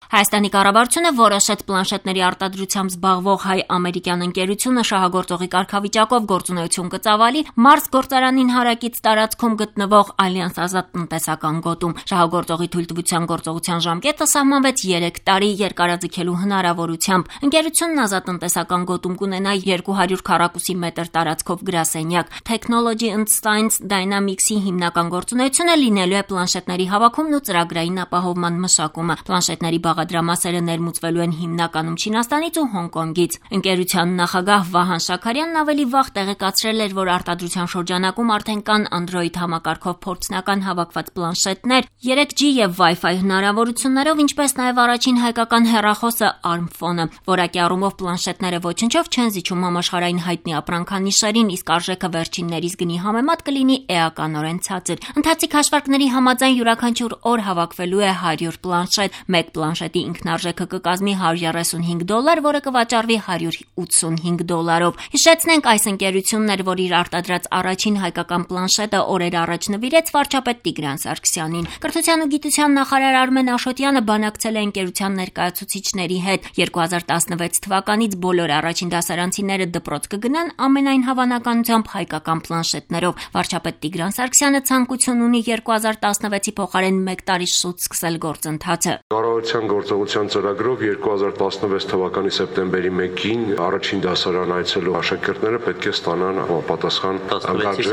Հայաստանի կառավարությունը որոշեց պլանշետների արտադրությամբ զբաղվող հայ-ամերիկյան ընկերությունը շահագործողի կարգավիճակով գործունեություն կծավալի Մարս գործարանին հարակից տարածքում գտնվող Ալյանս ազատ տնտեսական գոտում։ Շահագործողի թույլտվության գործողության ժամկետը սահմանվեց 3 տարի երկարաձգելու հնարավորությամբ։ Ընկերությունն ազատ տնտեսական գոտում կունենա 200 քառակուսի մետր տարածքով գրասենյակ։ Technology and Science Dynamics-ի հիմնական գործունեությունը լինելու է պլանշետների հավաքումն ու ծրագրային ապահովման մշակումը։ Պլանշետների բաղադրամասերը ներմուծվելու են հիմնականում Չինաստանից ու Հոնկոնգից։ Ընկերության նախագահ Վահան Շաքարյանն ավելի վաղ տեղեկացրել էր, որ արտադրության շրջանակում արդեն կան Android համակարգով փորձնական հավաքված պլանշետներ, 3G եւ Wi-Fi հնարավորություններով, ինչպես նաեւ առաջին հայկական հեռախոսը ARM-Phone-ը։ Որակի առումով պլանշետները ոչնչով չեն զիջում համաշխարհային հայտնի ապրանքանիշերին, իսկ արժեքը վերջիններիս գնի համեմատ կլինի էականորեն ցածր։ Ընթացիկ հաշվարկների համաձայն յուրաքանչյուր օր հավաքվելու է 100 պլանշետ։ Մեկ պլանշետի ինքնարժեքը կկազմի $135, որը կվաճառվի $185-ով։ Հիշեցնենք, այս ընկերությունն էր, որ իր արտադրած առաջին հայկական պլանշետը օրեր առաջ նվիրեց վարչապետ Տիգրան Սարգսյանին։ Կրթության ու գիտության նախարար Արմեն Աշոտյանը բանակցել է ընկերության ներկայացուցիչների հետ։ 2016 թվականից բոլոր առաջին դասարանցիները դպրոց կգնան ամենայն հավանականությամբ հայկական պլանշետներով։ Վարչապետ Տիգրան Սարգսյանը ցանկություն ունի 2016-ի փոխարեն 1 տարի շուտ սկսել գործընթացը։ Կառավարության գործողության ծրագրով 2016 թվականի սեպտեմբերի 1-ին առաջին դասարան այցելու աշակերտները պետք է ստանան համապատասխան 16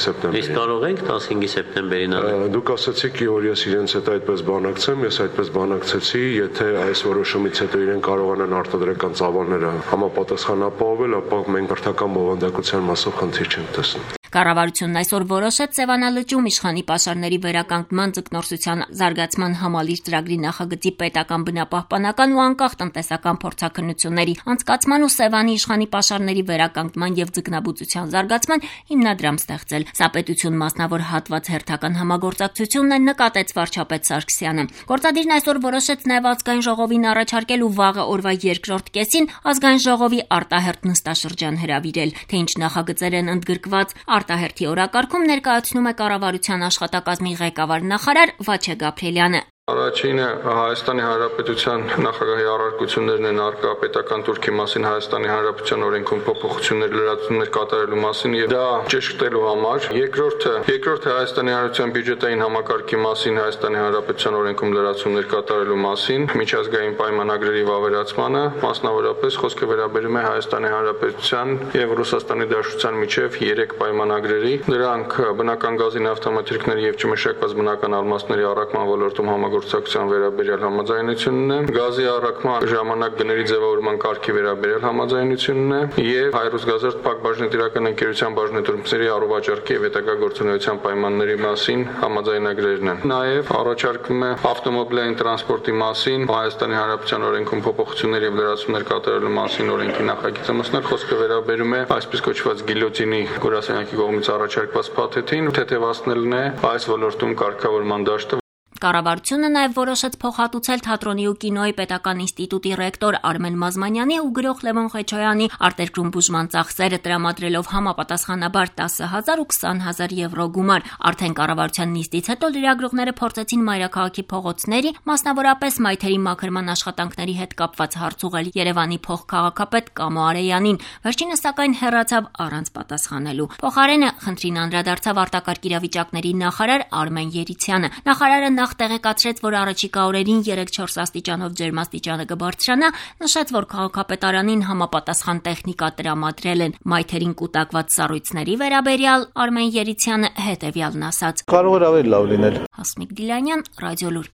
սեպտեմբերի։ Իսկ կարող ենք 15 սեպտեմբերին անել։ Դուք ասացիք, որ ես իրենց հետ այդպես բանակցեմ, ես այդպես բանակցեցի, եթե այս որոշումից հետո իրեն կարողանան արտադրական ծավալները համապատասխան ապահովել, ապա մենք կրթական բովանդակության մասով խնդիր չենք տեսնում։ Կառավարությունն այսօր որոշեց Սևանալճում իշխանի պաշարների վերականգնման ձկնորսության զարգացման համալիր ծրագրի նախագծի պետական բնապահպանական ու անկախ տնտեսական փորձաքննությունների անցկացման ու Սևանի իշխանի պաշարների վերականգնման եւ ձկնաբուծության զարգացման հիմնադրամ ստեղծել։ Սա պետություն մասնավոր հատված հերթական համագործակցությունն է, նկատեց վարչապետ Սարգսյանը։ Գործադիրն այսօր որոշեց նաեւ ազգային ժողովին առաջարկել ու վաղը օրվա երկրորդ կեսին ազգային ժողովի արտահերթ նստաշրջան հրավիրել։ Թե ինչ նախագծեր են ընդգրկված արտահերթի օրակարգում ներկայացնում է կառավարության աշխատակազմի ղեկավար նախարար Վաչե Գաբրելյանը։ Առաջինը Հայաստանի Հանրապետության նախագահի առարկություններն են արկա պետական турքի մասին Հայաստանի Հանրապետության օրենքում փոփոխություններ լրացումներ կատարելու մասին եւ դա ճշգրտելու համար։ Երկրորդը Հայաստանի Հանրապետության բյուջետային համակարգի մասին Հայաստանի Հանրապետության օրենքում լրացումներ կատարելու մասին, միջազգային պայմանագրերի վավերացմանը, մասնավորապես խոսքը վերաբերում է Հայաստանի Հանրապետության եւ Ռուսաստանի Դաշնության միջև 3 պայմանագրերի։ Դրանք բնական գազի նավթամթերքների եւ չմշակված բնական ալմաստների առաքման ոլորտում համագործակցության վերաբերյալ համաձայնությունն է, գազի առաքման ժամանակ գների ձևավորման կարգի վերաբերյալ համաձայնությունն է եւ Հայ-Ռուսգազարդ փակ բաժնետիրական ընկերության բաժնետուրմերի առողջարքի եւ հետագա գործունեության պայմանների մասին համաձայնագրերն են։ Նաեւ առաջարկվում է ավտոմոբիլային տրանսպորտի մասին Հայաստանի Հանրապետության օրենքում փոփոխություններ եւ լրացումներ կատարելու մասին օրենքի նախագիծը մսնել խոսքը վերաբերում է այսպես կոչված գիլյոտինի գրասենյակի կողմից առաջարկված փաթեթին, թեթևացնելն է այս ոլորտում կարգավորման դաշտը։ Կառավարությունը նաև որոշեց փոխհատուցել թատրոնի ու կինոյի պետական ինստիտուտի ռեկտոր Արմեն Մազմանյանի ու գրող Լևոն Ղեչոյանի արտերկրում բուժման ծախսերը տրամադրելով համապատասխանաբար 10,000 ու 20,000 եվրո գումար։ Արդեն կառավարության նիստից հետո լրագրողները փորձեցին մայրաքաղաքի փողոցների, մասնավորապես մայթերի մաքրման աշխատանքների հետ կապված հարց ուղղել Երևանի փոխքաղաքապետ Կամո Արեյանին, վերջինս սակայն հեռացավ առանց պատասխանելու։ Փոխարենը խնդրին անդրադարձավ արտակարգ իրավիճակների նախարար Արմեն Երիցյանը։ Նախարարը նախ տեղեկացրեց, որ առաջիկա օրերին 3-4 աստիճանով ջերմաստիճանը կբարձրանա, նշեց, որ քաղաքապետարանին համապատասխան տեխնիկա տրամադրել են։ Մայթերին կուտակված սառույցների վերաբերյալ Արմեն Երիցյանը հետևյալն ասաց. Կարող էր ավելի լավ լինել։ Հասմիկ Դիլանյան, Ռադիոլուր։